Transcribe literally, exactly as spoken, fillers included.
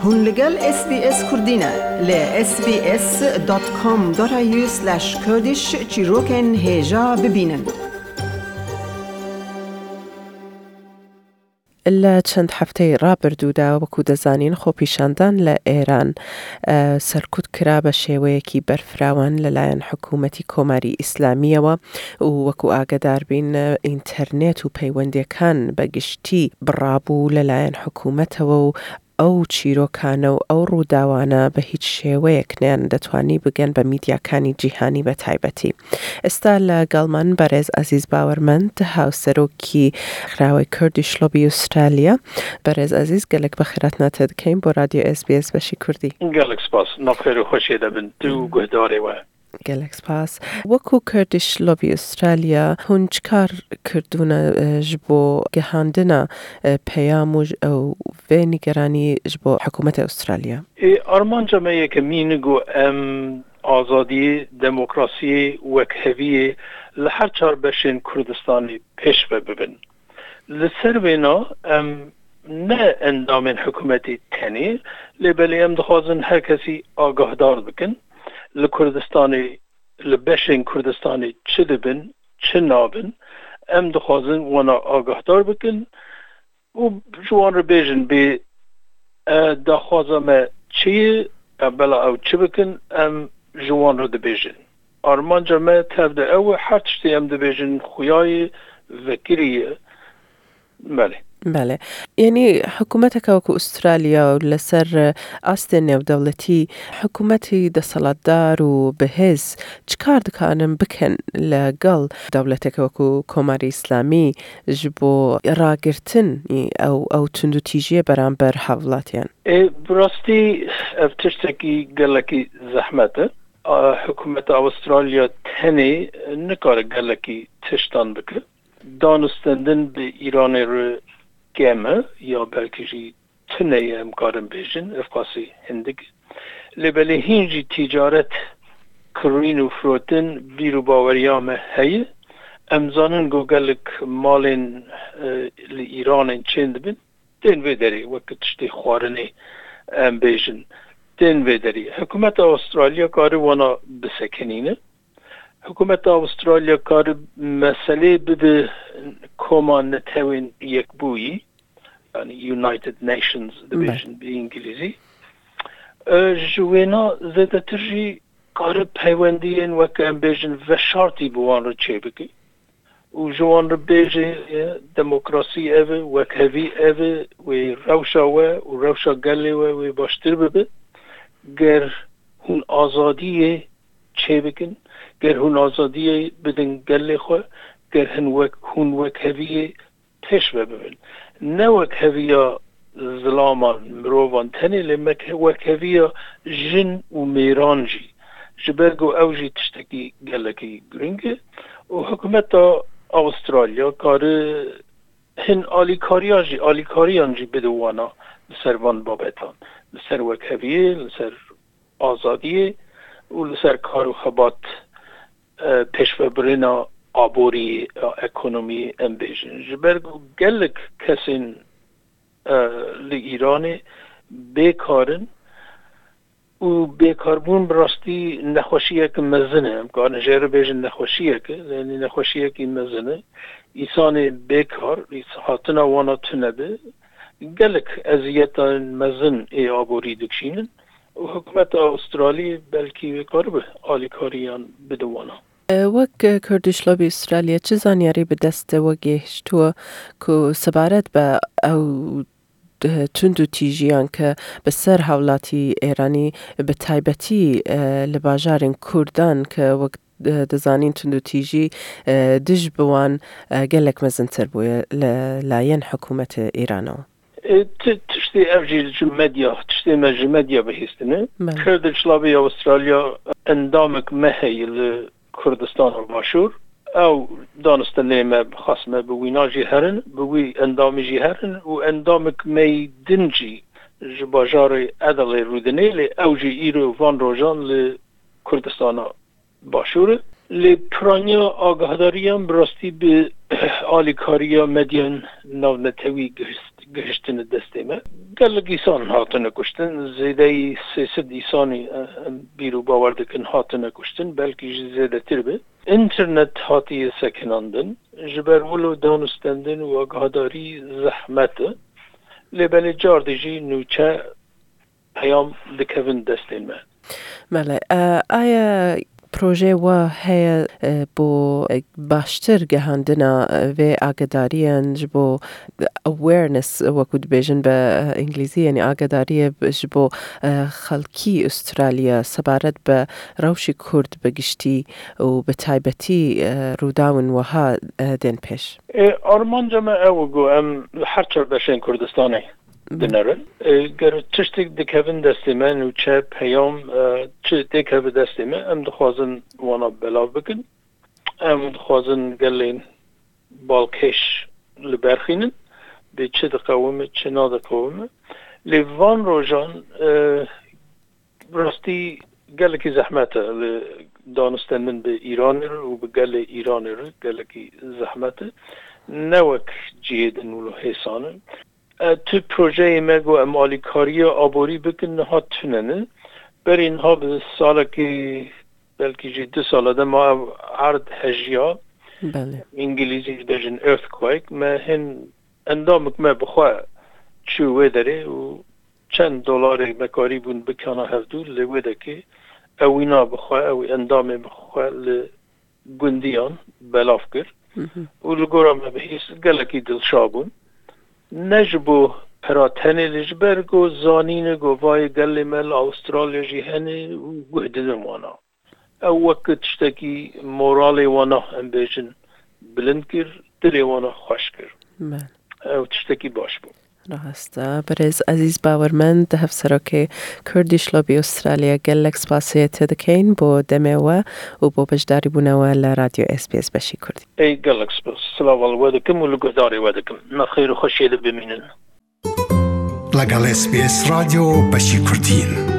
Hûn li gel S B S Kurdî ne. Li S B S dot com dot A U slash Kurdish çîrokên hêja bibînin. لە چەند هەفتەی ڕابردوودا، وەکو دەزانین، خۆپیشاندان لە ئێران، ئە، سەرکوت کرا بە شێوەیەکی بەرفراوان لەلایەن حکوومەتی کۆماری ئیسلامیەوە و وەکو ئاگەدار بین، ئینتەرنێت و پەیوەندیەکان بە گشتی بڕابوو لەلایەن حکوومەتەوە و ئەو چیرۆکانە و ئەو ڕووداوانە بە هیچ شێوەیەک نەیان دەتوانی بگەن بە میدیاکانی جیهانی بە تایبەتی. ئێستا لە گەڵمان بەڕێز عەزیز باوەرمەند، هاوسەرۆکی ڕێکخراوەی Kurdish Lobby ئوسترالیا. بەڕێز عەزیز، گەلێک بە خێراتناتە دەکەین بۆ رادیۆ S B S بەشی کوردی. گەلێک سپاس. ناخێر و خۆشیە دەبن تو و گوهدارێ وە. گەلێک سپاس. وەکو Kurdish Lobby ئوسترالیا، هون چ کار کردوونە، ئە، ji بۆ گەهاندنە، ئە، پەیام و ژ-، ئەو vê نیگەرانی ji بۆ حکوومەتی ئوسترالیا؟ Ê, armanca me yekemîn e ku em azadiyê, demokrasiyê, wekheviyê li her çar beşên Kurdistanê pêş ve bibin. Li ser vêna em ne endamên hikûmetê tenê, lê belê em dixwazin her kesî agahdar bikin. Li Kurdistanê, li beşên Kurdistanê çi dibin, çi nabin, em dixwazin wana agahdar bikin û ji wan re bêjin bê, e, daxwaza me çi ye, e, bela ew çi bikin, em ji wan re dibêjin. Armanca me tev de ew e, her tiştê em dibêjin xuya ye, vekirî ye. Belê. بەڵێ. یعنی حکوومەتێکە وەکو ئوسترالیا و لەسەر ئاستێ نێودەوڵەتی، حکوومەتی دەسەڵاتدار و بەهێز چ کار دکانن بکەن لەگەڵ دەوڵەتێکە وەکو کۆماری ئیسلامی ji بۆ ڕاگرتن ئەو، ئەو توند و تیژیە بەرامبەر هاوڵاتیان؟ Ê, bi rastî ev tiştekî gelekî zehmet e. A, hikûmeta Awistralya tenê nikare gelekî tiştan bike. Danûstendin bi Îranê re kêm e, ya belkî jî tune ye, em karin bêjin, ev qasî hindik. Lê belê hîn jî tîcaret, kirîn û firotin bîr û baweriya me heye. Em zanin ku gelek malên, e, li Îranê çên dibin, tên vê derê wek tiştê xwarinê, em bêjin, tên vê derê. Hikûmeta Awistralya kare wana bisekinîne. Hikûmeta Awistralya kare meselê bibe Koma Netewên Yekbûyî, yani United Nations dibêjin bi îngilîzî. E, ji wêna zêdetir jî kare peywendiyên, wek em bêjin, veşartî bi wan re çêbike û ji wan re bêje, e, demokrasî ev e, wekhevî ev e, wê rewşa we û rewşa gelê we wê baştir bibe. Ger hûn azadiyê çêbikin, ger hûn azadiyê bidin gelê xwe, ger hin wek, hûn wekheviyê pêş ve bibin. Ne wekheviya zilaman, mirovan tenê, lê meke-, wekheviya jin û mêran jî. Ji ber ku ew jî tiştekî gelekî giring e û hikûmeta Awistralya kare hin alîkariya jî, alîkariyan jî bide wana li ser van babetan. Li ser wekheviyê, li ser azadiyê û li ser kar û xebat, e, pêşvebirina aboriyê, e, ekonomiyê em bêjin. Ji ber ku gelek kesên, e, li Îranê bêkar in û bêkarbûn bi rastî nexweşiyek mezin e. Em karin jê re bêjin nexweşiyek e, yanî nexweşiyekî mezin e. Însanê bêkar, hatina wana tune be, gelek eziyetên mezin ê aborî dikişînin û hikûmeta Awistralî belkî wê karibe alîkariyan bide wana. وەک Kurdish Lobby ئوسترالیا، چ زانیاری بە دەستەوە گەیشتووە کو سەبارەت بە ئەو توند و تیژیان کە بەسەر هاوڵاتی ئێرانی، بە تایبەتی لە باژارین کوردان کە وەک دەزانین توند و تیژی دژ بوان گەلێک مەزنتر بووە لە لایەن حکوومەت ئێرانەوە؟ Ê, ti-, tiştê ev jî ji medya, tiştê me ji medya bihîstine. Belê. Kurdish Lobby Awistralya endamek me heye li Kurdistana Başûr. Ew danistendê me, xas me bi wîna jî herin, bi wî endamî jî herin û endamek me yî din jî ji bajarê Edel ê rûdinê, lê ew jî îro van rojan li Kurdistana Başûr e. Lê piraniya agahdariyan bi rastî bi alîkariya medyan navnetewî gihîst-, gihiştine destê me. Gelek îsan hatine kuştin, zêdeyî sê sed îsanî, e, em bîr û bawer dikin hatine kuştin, belkî jî zêdetir be. Înternet hatiye sekinandin, ji ber wilo danûstendin û agahdarî zehmet e. Lê belê cardî jî nûçe peyam dikevin destên me. Belê, e, aya projeyê we heye, e, bo, e, baştir gehandina, e, vê agadariyan ji bo awareness, wekî dibêjin bi, e, îngilîzî, yanî agadariyê bi, ji bo, e, xelkî Australya sebaret bi rewşî Kurd bi giştî û bi taybetî, e, rûdawên wiha, e, tên pêş? E, armanca me ew e ku em li her çar beşên Kurdistanê dinerin. E, ger tiştek dikevin destê me, nûçe, peyam, e, çi têkeve destê me, em dixwazin wana belav bikin. Em dixwazin gelên balkêş li ber xînin, bê çi diqewime, çi nadiqewime. Lê van rojan, e, rastî gelekî zehmet e li danûstendin bi Îranê re û bi gelê Îranê re gelekî zehmet e. Ne wek cihê din wilo hêsan e. E, tu projeyê me ku em alîkariya aborî bikin niha tune ne. Berî niha bi salekî, belkî jî du sala de ma ev erd hejiya. Belê. Îngilîzî dibêjin earthquake. Me hin endamik me bi xwe çû wê derê û çend dolarê me karîbûn bikana hevdû li wê dekê. Ew wîna bi xwe, ew endamê bi xwe li gundiyan belav kir. Hı hı. Û li gora me bihîst gelekî dilşa bûn. Ne ji bo pera tenê lê ji ber ku zanîne ku vayê gelê me li Awistralya jî hene û guh didin wana. Ew wek tiştekî moralê wana, em bêjin, bilind kir, dilê wana xweş kir. Belê. Ew tiştekî baş bû. Rast e. Birêz Ezîz Bawermend, hevserokê Kurdish Lobby Australia, gelek spasê te dikeyin bo demê we û bo beşdarîbûna we li Radyo S B S Beşî Kurdî. Ey gelek spas. Silava li we dikim û li guhdarê we dikim. Me xêr û xweşiyê de bimînin. لەگەڵ S B S رادیۆ بەشی کوردین.